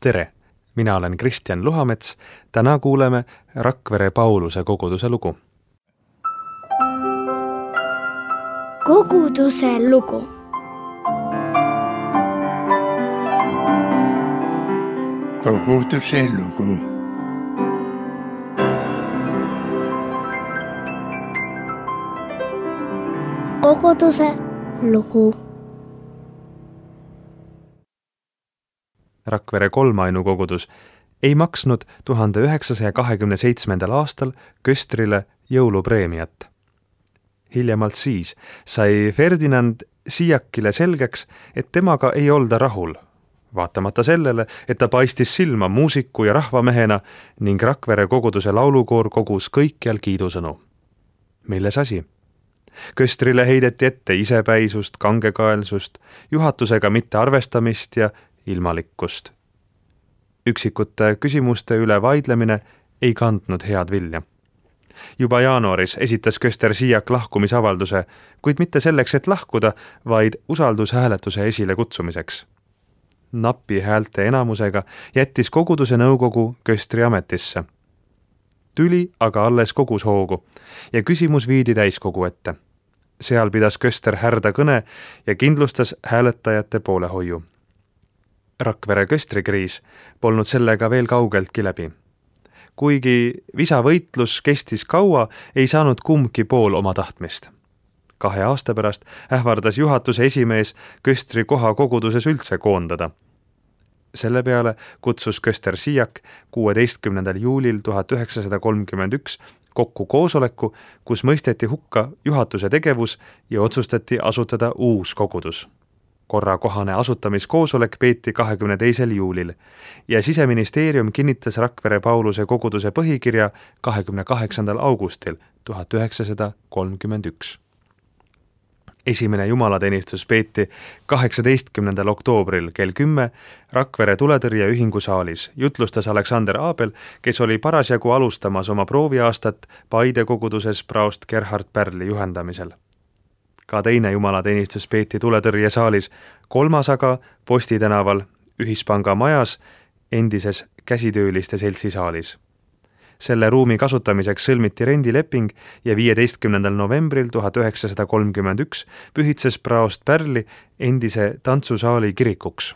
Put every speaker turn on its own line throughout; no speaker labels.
Tere! Mina olen Kristjan Luhamets. Täna kuuleme Rakvere Pauluse koguduse lugu.
Koguduse lugu.
Koguduse lugu.
Koguduse lugu.
Rakvere kolmainu kogudus ei maksnud 1927. aastal Köstrile jõulupreemiat. Hiljemalt siis sai Ferdinand Siiakile selgeks, et temaga ei olda rahul, vaatamata sellele, et ta paistis silma muusiku ja rahvamehena ning Rakvere koguduse laulukoor kogus kõikjal kiidusõnu. Milles asi? Köstrile heideti ette isepäisust, kangekaelsust, juhatusega mitte arvestamist ja ilmalikkust. Üksikute küsimuste üle vaidlemine ei kandnud head vilja. Juba jaanuaris esitas Köster Siiak lahkumisavalduse, kuid mitte selleks, et lahkuda, vaid usaldushääletuse esile kutsumiseks. Napi häälte enamusega jättis koguduse nõukogu Köstri ametisse. Tüli aga alles kogus hoogu ja küsimus viidi täiskogu ette. Seal pidas Köster härda kõne ja kindlustas hääletajate poolehoiu. Rakvere köstrikriis polnud sellega veel kaugeltki läbi. Kuigi visavõitlus kestis kaua, ei saanud kumbki pool oma tahtmist. 2 aasta pärast ähvardas juhatuse esimees Köstri koha koguduses üldse koondada. Selle peale kutsus Köster Siiak 16. juulil 1931 kokku koosoleku, kus mõisteti hukka juhatuse tegevus ja otsustati asutada uus kogudus. Korrakohane asutamiskoosolek peeti 22. juulil ja Siseministeerium kinnitas Rakvere Pauluse koguduse põhikirja 28. augustil 1931. Esimene jumalateenistus peeti 18. oktoobril kell 10 Rakvere tuletõrjeühingu saalis. Jutlustas Alexander Abel, kes oli parasjagu alustamas oma prooviaastat Paide koguduses praost Gerhard Pärli juhendamisel. Ka teine jumalateenistus peeti tuletõrjesaalis, 3. aga Posti tänaval Ühispanga majas endises käsitööliste seltsi saalis. Selle ruumi kasutamiseks sõlmiti rendileping ja 15. novembril 1931 pühitses praost Pärli endise tantsusaali kirikuks.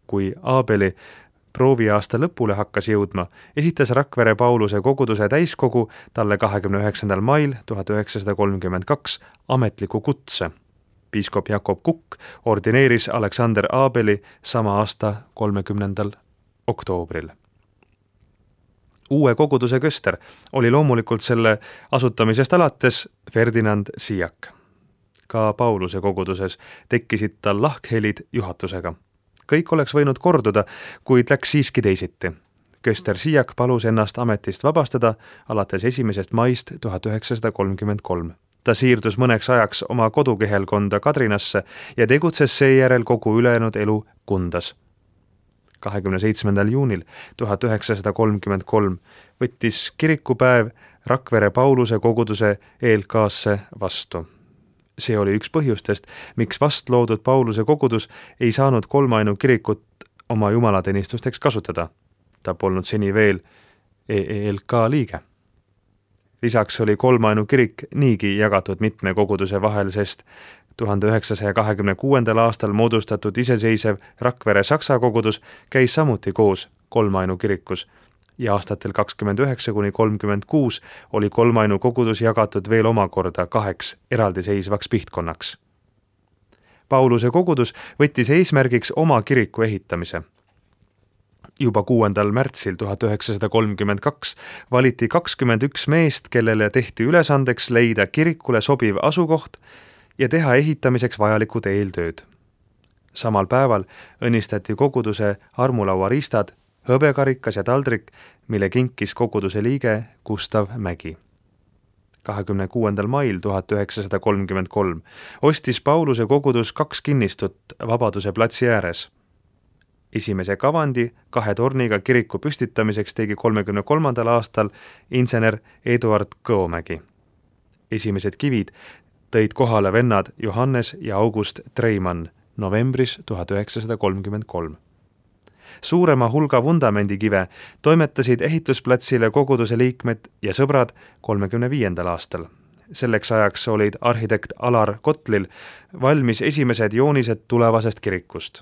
Kui Abeli prooviaasta lõpule hakkas jõudma, esitas Rakvere Pauluse koguduse täiskogu talle 29. mail 1932 ametliku kutse. Piiskop Jakob Kukk ordineeris Alexander Abeli sama aasta 30. oktoobril. Uue koguduse köster oli loomulikult selle asutamisest alates Ferdinand Siiak. Ka Pauluse koguduses tekkisid tal lahkhelid juhatusega. Kõik oleks võinud korduda, kuid läks siiski teisiti. Köster Siiak palus ennast ametist vabastada alates 1. maist 1933. Ta siirdus mõneks ajaks oma kodukehelkonda Kadrinasse ja tegutses seejärel kogu ülejäänud elu Kundas. 27. juunil 1933 võttis kirikupäev Rakvere Pauluse koguduse ELK-sse vastu. See oli üks põhjustest, miks vast loodud Pauluse kogudus ei saanud kolmainu kirikut oma jumalateenistusteks kasutada. Ta polnud seni veel ELK liige. Lisaks oli kolmainu kirik niigi jagatud mitme koguduse vahel, sest 1926. aastal moodustatud iseseisev Rakvere Saksa kogudus käis samuti koos kolmainu kirikus ja aastatel 29–36 oli kolmainu kogudus jagatud veel omakorda 2 eraldiseisvaks pihtkonnaks. Pauluse kogudus võttis eesmärgiks oma kiriku ehitamise. Juba 6. märtsil 1932 valiti 21 meest, kellele tehti ülesandeks leida kirikule sobiv asukoht ja teha ehitamiseks vajalikud eeltööd. Samal päeval õnnistati koguduse armulauariistad, hõbekarikas ja taldrik, mille kinkis koguduse liige Gustav Mägi. 26. mail 1933 ostis Pauluse kogudus 2 kinnistut Vabaduse platsi ääres. Esimese kavandi 2 torniga kiriku püstitamiseks tegi 33. aastal insener Eduard Kõomägi. Esimesed kivid tõid kohale vennad Johannes ja August Treimann novembris 1933. Suurema hulga vundamendikive toimetasid ehitusplatsile koguduse liikmed ja sõbrad 35. aastal. Selleks ajaks olid arhitekt Alar Kotlil valmis esimesed joonised tulevasest kirikust.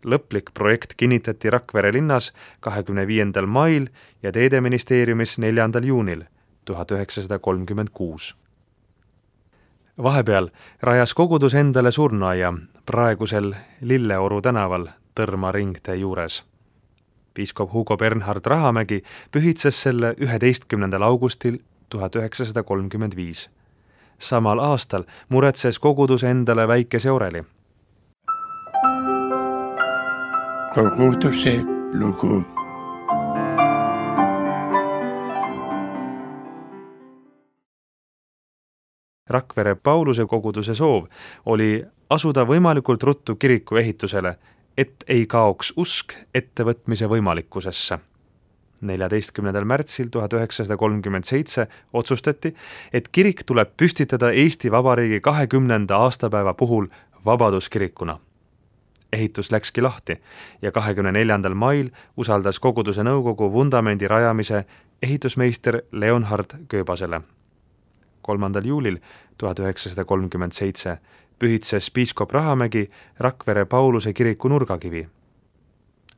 Lõplik projekt kinnitati Rakvere linnas 25. mail ja Teedeministeeriumis 4. juunil 1936. Vahepeal rajas kogudus endale surnuaia praegusel Lilleoru tänaval Tõrma ringtee juures. Piiskop Hugo Bernhard Rahamägi pühitses selle 11. augustil 1935. Samal aastal muretses kogudus endale väikese oreli.
Koguduse lugu.
Rakvere Pauluse koguduse soov oli asuda võimalikult ruttu kiriku ehitusele, et ei kaoks usk ettevõtmise võimalikkusesse. 14. märtsil 1937 otsustati, et kirik tuleb püstitada Eesti Vabariigi 20. aastapäeva puhul vabaduskirikuna. Ehitus läkski lahti ja 24. mail usaldas koguduse nõukogu vundamendi rajamise ehitusmeister Leonhard Kööbasele. 3. juulil 1937 pühitses piiskop Rahamägi Rakvere Pauluse kiriku nurgakivi.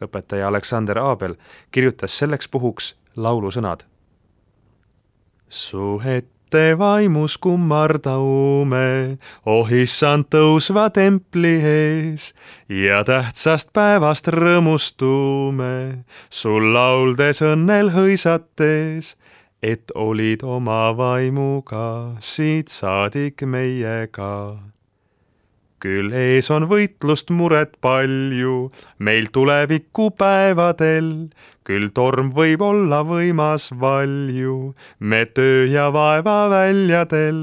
Õpetaja Aleksander Abel kirjutas selleks puhuks laulusõnad. Su ette vaimus kummardaume, issand tõusva templi ees ja tähtsast päevast rõõmustume, sul lauldes õnnel hõisates, et olid oma vaimuga siit saadik meiega. Küll ees on võitlust muret palju, meil tuleviku päevadel, küll torm võib olla võimas valju, me töö ja vaeva väljadel,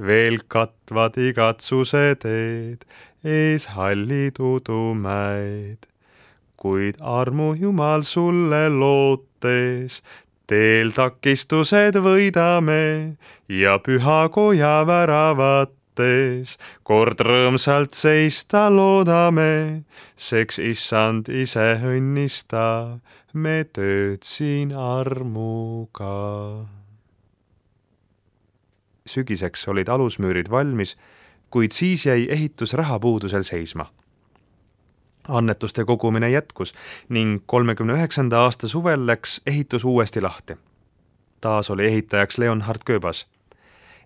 veel katvad igatsuse teed, ees hallid udumäed. Kuid armu Jumal sulle lootes, teel takistused võidame ja pühakoja väravad kord rõõmsalt seista loodame, seks issand ise õnnista, me tööd siin armuga. Sügiseks olid alusmüürid valmis, kuid siis jäi ehitus rahapuudusel seisma. Annetuste kogumine jätkus ning 39. aasta suvel läks ehitus uuesti lahti. Taas oli ehitajaks Leonhard Kööbas.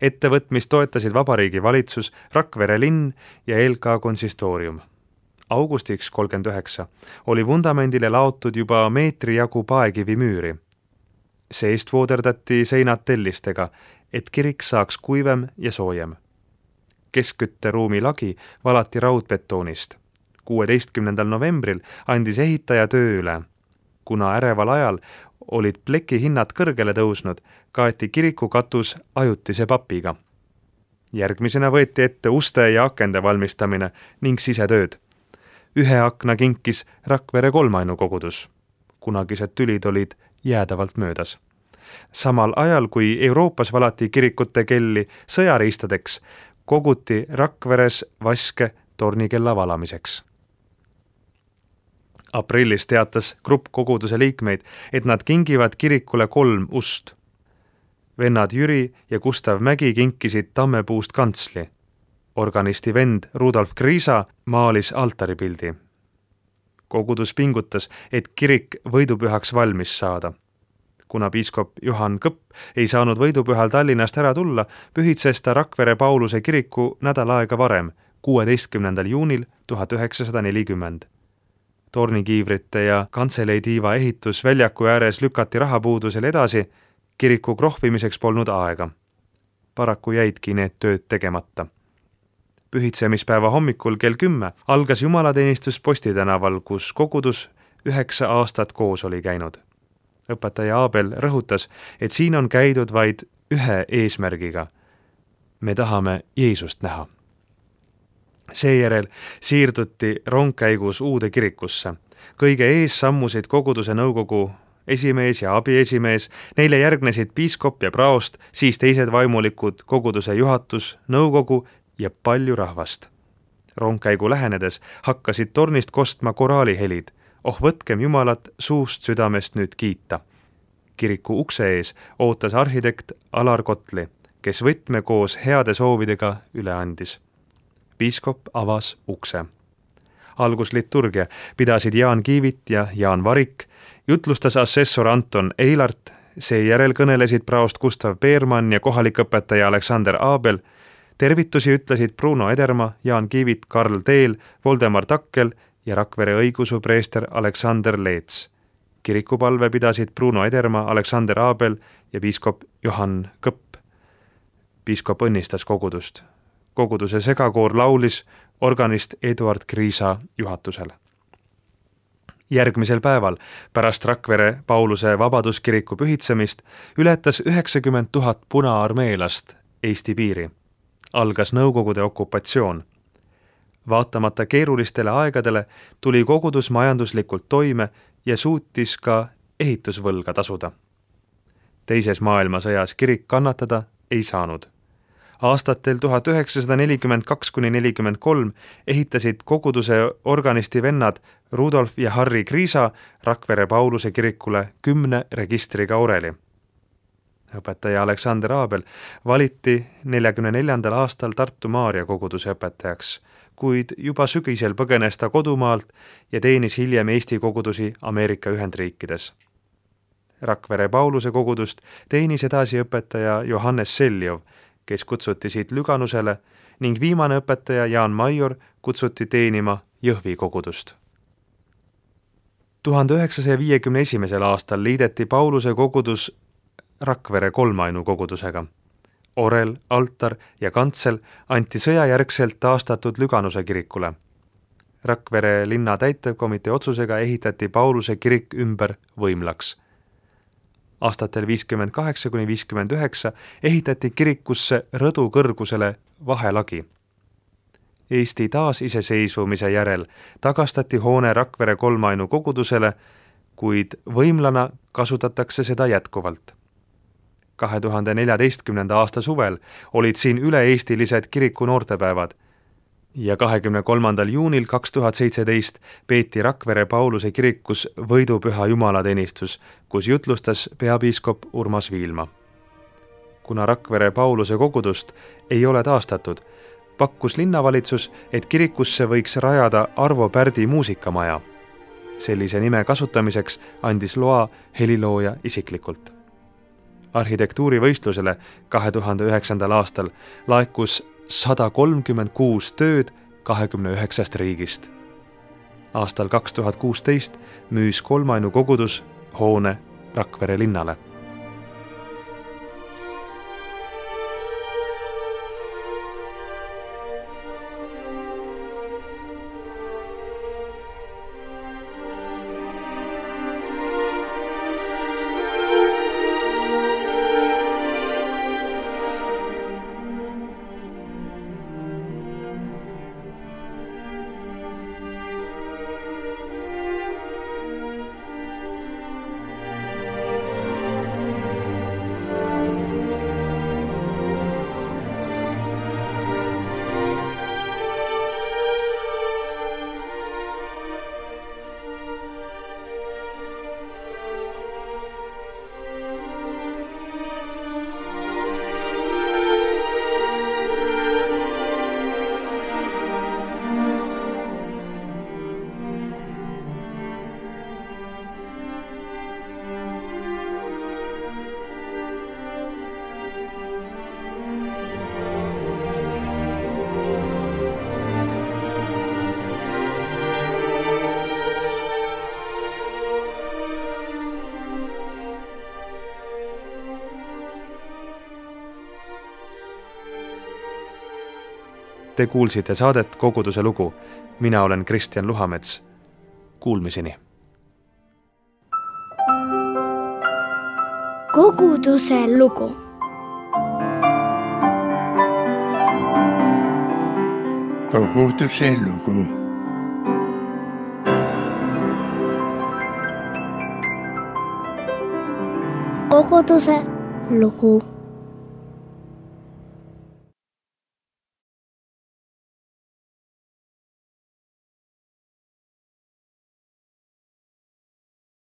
Ettevõtmist toetasid Vabariigi valitsus, Rakvere linn ja LK konsistoorium. Augustiks 39 oli vundamendile laotud juba meetri jagu paekivi müüri. Seest vooderdati seinad tellistega, et kirik saaks kuivem ja soojem. Keskkütteruumi lagi valati raudbetoonist. 16. novembril andis ehitaja töö üle. Kuna äreval ajal olid pleki hinnad kõrgele tõusnud, kaeti kiriku katus ajutise papiga. Järgmisena võeti ette uste ja akende valmistamine ning sisetööd. Ühe akna kinkis Rakvere kolmainu kogudus. Kunagised tülid olid jäädavalt möödas. Samal ajal, kui Euroopas valati kirikute kelli sõjariistadeks, koguti Rakveres vaske tornikella valamiseks. Aprillis teatas grupp koguduse liikmeid, et nad kingivad kirikule 3 ust. Vennad Jüri ja Gustav Mägi kinkisid tammepuust kantsli. Organisti vend Rudolf Kriisa maalis altaripildi. Kogudus pingutas, et kirik võidupühaks valmis saada. Kuna piiskop Johan Kõpp ei saanud võidupühal Tallinnast ära tulla, pühitses ta Rakvere Pauluse kiriku nädal aega varem, 16. juunil 1940. Tornikiivrite ja kantseleidiiva ehitus väljaku ääres lükati rahapuudusel edasi, kiriku krohvimiseks polnud aega. Paraku jäidki need tööd tegemata. Pühitsemispäeva hommikul kell 10 algas jumalateenistus Posti tänaval, kus kogudus 9 aastat koos oli käinud. Õpetaja Abel rõhutas, et siin on käidud vaid ühe eesmärgiga. Me tahame Jeesust näha. Seejärel siirduti rongkäigus uude kirikusse. Kõige ees sammusid koguduse nõukogu esimees ja abiesimees, neile järgnesid piiskop ja praost, siis teised vaimulikud, koguduse juhatus, nõukogu ja palju rahvast. Rongkäigu lähenedes hakkasid tornist kostma koraalihelid. oh võtkem Jumalat suust südamest nüüd kiita. Kiriku ukse ees ootas arhitekt Alar Kotli, kes võtme koos heade soovidega üle andis. Piiskop avas ukse. Algusliturgia pidasid Jaan Kiivit ja Jaan Varik, jutlustas assessor Anton Eilart, seejärel kõnelesid praost Gustav Peermann ja kohalik õpetaja Aleksander Abel, tervitusi ütlesid Bruno Ederma, Jaan Kiivit, Karl Teel, Voldemar Takkel ja Rakvere õigeusu preester Aleksander Leets. Kirikupalve pidasid Bruno Ederma, Aleksander Abel ja piiskop Johann Kõpp. Piiskop õnnistas kogudust. Koguduse segakoor laulis organist Eduard Kriisa juhatusel. Järgmisel päeval pärast Rakvere Pauluse Vabaduskiriku pühitsemist ületas 90 000 punaarmeelast Eesti piiri. Algas Nõukogude okupatsioon. Vaatamata keerulistele aegadele tuli kogudus majanduslikult toime ja suutis ka ehitusvõlga tasuda. Teises maailmasõjas kirik kannatada ei saanud. Aastatel 1942–43 ehitasid koguduse organisti vennad Rudolf ja Harri Kriisa Rakvere Pauluse kirikule 10 registriga oreli. Õpetaja Aleksander Abel valiti 1944. aastal Tartu Maarja koguduse õpetajaks, kuid juba sügisel põgenes ta kodumaalt ja teenis hiljem Eesti kogudusi Ameerika Ühendriikides. Rakvere Pauluse kogudust teenis edasi õpetaja Johannes Seljov, kes kutsuti siit Lüganusele ning viimane õpetaja Jaan Major kutsuti teenima Jõhvi kogudust. 1951. aastal liideti Pauluse kogudus Rakvere kolmainu kogudusega. Orel, altar ja kantsel anti sõjajärgselt taastatud Lüganuse kirikule. Rakvere linna täitevkomitee otsusega ehitati Pauluse kirik ümber võimlaks. Aastatel 58–59 ehitati kirikusse rõdu kõrgusele vahelagi. Eesti taasiseseisvumise järel tagastati hoone Rakvere kolmainu kogudusele, kuid võimlana kasutatakse seda jätkuvalt. 2014. aasta suvel olid siin üle-eestilised kiriku noortepäevad ja 23. juunil 2017 peeti Rakvere Pauluse kirikus võidupüha jumalateenistus, kus jutlustas peapiiskop Urmas Viilma. Kuna Rakvere Pauluse kogudust ei ole taastatud, pakkus linnavalitsus, et kirikusse võiks rajada Arvo Pärdi muusikamaja. Sellise nime kasutamiseks andis loa helilooja isiklikult. Arhitektuurivõistlusele 2009. aastal laekus 136 tööd 29 riigist. Aastal 2016 müüs kolmainu kogudus hoone Rakvere linnale. Te kuulsite saadet Koguduse lugu. Mina olen Kristjan Luhamets. Kuulmiseni.
Koguduse lugu.
Koguduse lugu.
Koguduse lugu.